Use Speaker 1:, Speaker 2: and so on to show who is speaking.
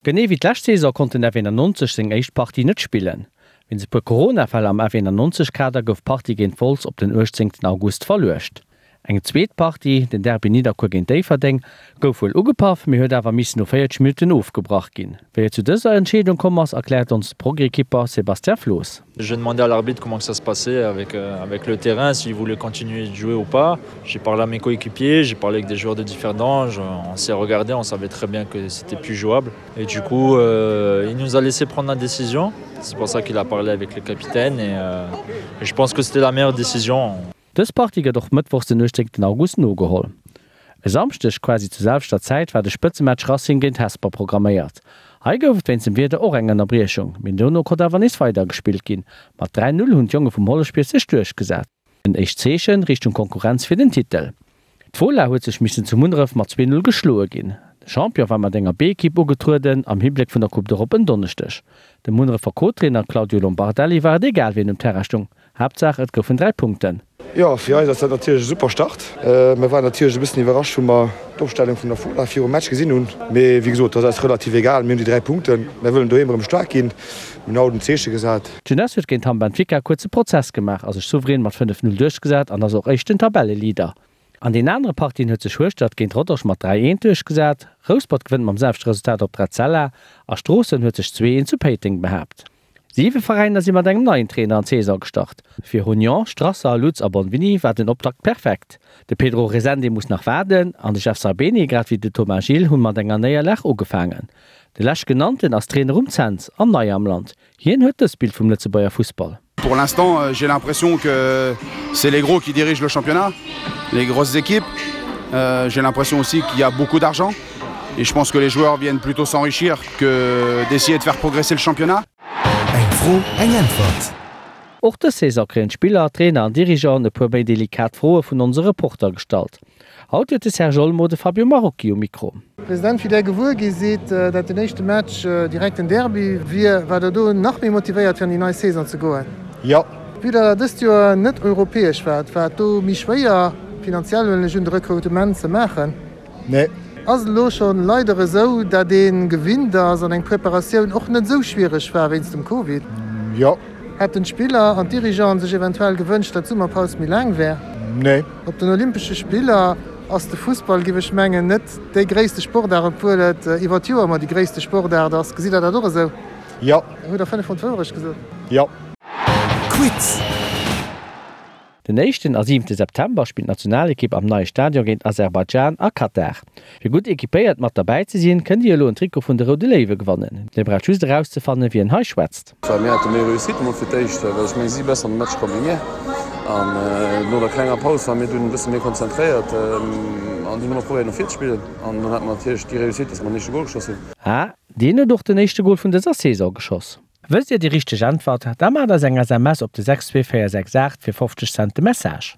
Speaker 1: Genee wéi d'lescht Saison konnt den F91 seng éischt Partie net spillen. Wéinst e puer Corona-Fäll am F91-Kader gouf d'Partie géint Wolz op den 18 August verluecht. Eng zweet Partie, den Derby Nidderkuer géint Déifferdeng, gouf wuel ugepaff, mee huet awer missen no 40 Minutten ofgebrach ginn. Wéi et zu dëser Entscheedung komm ass, erkläert ons de Progrès-Kipper Sébastien Floos.
Speaker 2: J'ai demandé à l'arbitre comment que ça se passait avec, euh, avec le terrain, s'il voulait continuer de jouer ou pas. J'ai parlé à mes coéquipiers, j'ai parlé avec des joueurs de Differdange, on s'est regardé, on savait très bien que c'était plus jouable. Et du coup, euh, il nous a laissé prendre la décision. C'est pour ça qu'il a parlé avec le capitaine et, euh, et je pense que c'était la meilleure décision.
Speaker 1: Dës Partie gëtt och mëttwochs den 18 August nogeholl. E Samschdeg quasi zur selwechter Zäit war de Spëtzematch Racing géint Hesper programméiert. Hei gouf et wéinst dem Wieder och eng Ënnerbriechung, mee dono konnt awer nees weider gespillt ginn. Mat 3, 0 hunn d'Jonge vum Holleschbier sech duerchgesat. En éischt Zeeche Richtung Konkurrenz fir den Titel. D'Fola huet sech missen zu Munneref mat 2, 0 geschloe ginn. De Champion war mat enger B-Ekipp ugetrueden am Hibléck vun der Coupe d'Europe en Donneschdeg. Dem Munnerefer Co-Trainer Claudio Lombardelli war et egal wien um Terrain stung, Haaptsaach et goufen 3 Punkten.
Speaker 3: Jo, fir eis ass dat natierlech e super Start. Mir waren natierlech e bëssen iwwerrascht, wou mer d'Opstellung vun der Fola virum Match gesinn hunn. Mee wéi gesot, dat ass eis relativ egal. Mir hunn déi 3 Punkten. Mir wëllen doheem erëm staark ginn. Mir hunn haut en Zeeche gesat.
Speaker 1: D'Jeunesse huet géint Hamm Benfica kuerze Prozess gemaach a sech souverän mat 5, 0 duerchgesat an ass och éischten Tabelleleader. An den anere Partien huet sech Hueschtert géint Rodange mat 3, 1 duerchgesat, Rouspert gewënnt mam selwechte Resultat op Etzella a Stroossen huet sech 2, 1 zu Péiteng behaapt. Siwe Veräiner si mat engem neien Trainer an d'Saison gestart. Fir Union, Strasser, Lutz a Bonvini war den Optakt perfekt. De Pedro Resende muss nach waarden an de Jeff Sarbeni grad wéi de Thomas Gilles hunn mat enger Néierlag ugefaangen. De leschtgenannten ass Trainer um Cents an nei am Land. Hien huet dëst Bild vum Lëtzebuerger Fussball.
Speaker 3: Pour l'instant, j'ai l'impression que c'est les gros qui dirigent le championnat, les grosses équipes. Euh, j'ai l'impression aussi qu'il y a beaucoup d'argent et je pense que les joueurs viennent plutôt s'enrichir que d'essayer de faire progresser le championnat.
Speaker 4: Eng Fro, eng Äntwert.
Speaker 1: Och dës Saison kréien d'Spiller, Trainer an Dirigeanten e puer méi delikat Froe vun onse Reporter gestallt. Haut huet de Serge Olmo de Fabio Marocchi um Mikro.
Speaker 5: President, wéi där gewuer gi sidd, dat den éischte Match direkt en Derby wier, waart der do nach méi motivéiert fir an déi nei Saison ze goen?
Speaker 3: Jo.
Speaker 5: Vue dat der dëst Joer net europäesch waart, war et do méi schwéier, finanziell huelen ech un, de Rekrutement ze maachen?
Speaker 3: Nee.
Speaker 5: Ass et elo schonn leider esou, dat ee gewinnt ass an eng Preparatioun och net esou schwiereg war wéinst dem Covid?
Speaker 3: Jo.
Speaker 5: Hätten d'Spiller an d'Dirigeanten sech eventuell gewënscht, dat d'Summerpaus méi laang wär?
Speaker 3: Nee.
Speaker 5: Op den Olympesche Spiller ass de Fussball, giff ech mengen, net déi gréisste Sportaart, obwuel et iwwer d'Joer ëmmer déi gréisste Sportaart ass. Gesitt Der dat och esou?
Speaker 3: Jo.
Speaker 5: Hutt Der 5 mol d'Wourecht gesot?
Speaker 3: Jo.
Speaker 4: Quiz.
Speaker 1: Den éischten a siwente September spillt d'Nationalekipp am neie Stadion géint Aserbaidschan a Katar. Fir gutt equipéiert mat derbäi ze sinn, kënnt Dir elo en Trikot vun de Roude Léiwe gewannen. Dir braucht just erauszefannen, wien hei schwätzt.
Speaker 6: Mir hate méi Réussite emol fir d'éischt, well ech mengen si besser an de Match komm wéi mir. An no der klenger Paus ware mir dunn e bësse méi konzentréiert an hunn ëmmer probéiert no vir ze spillen. An dann hate mer natierlech déi Réussite, dass mer den éischte Gol geschoss hunn.
Speaker 1: Ah, deen huet och den éischte Gol vun dëser Saison geschoss. Wësst Dir déi richteg Äntwert? Da maacht eis eng SMS op de 62468 fir 50 Cent de Message.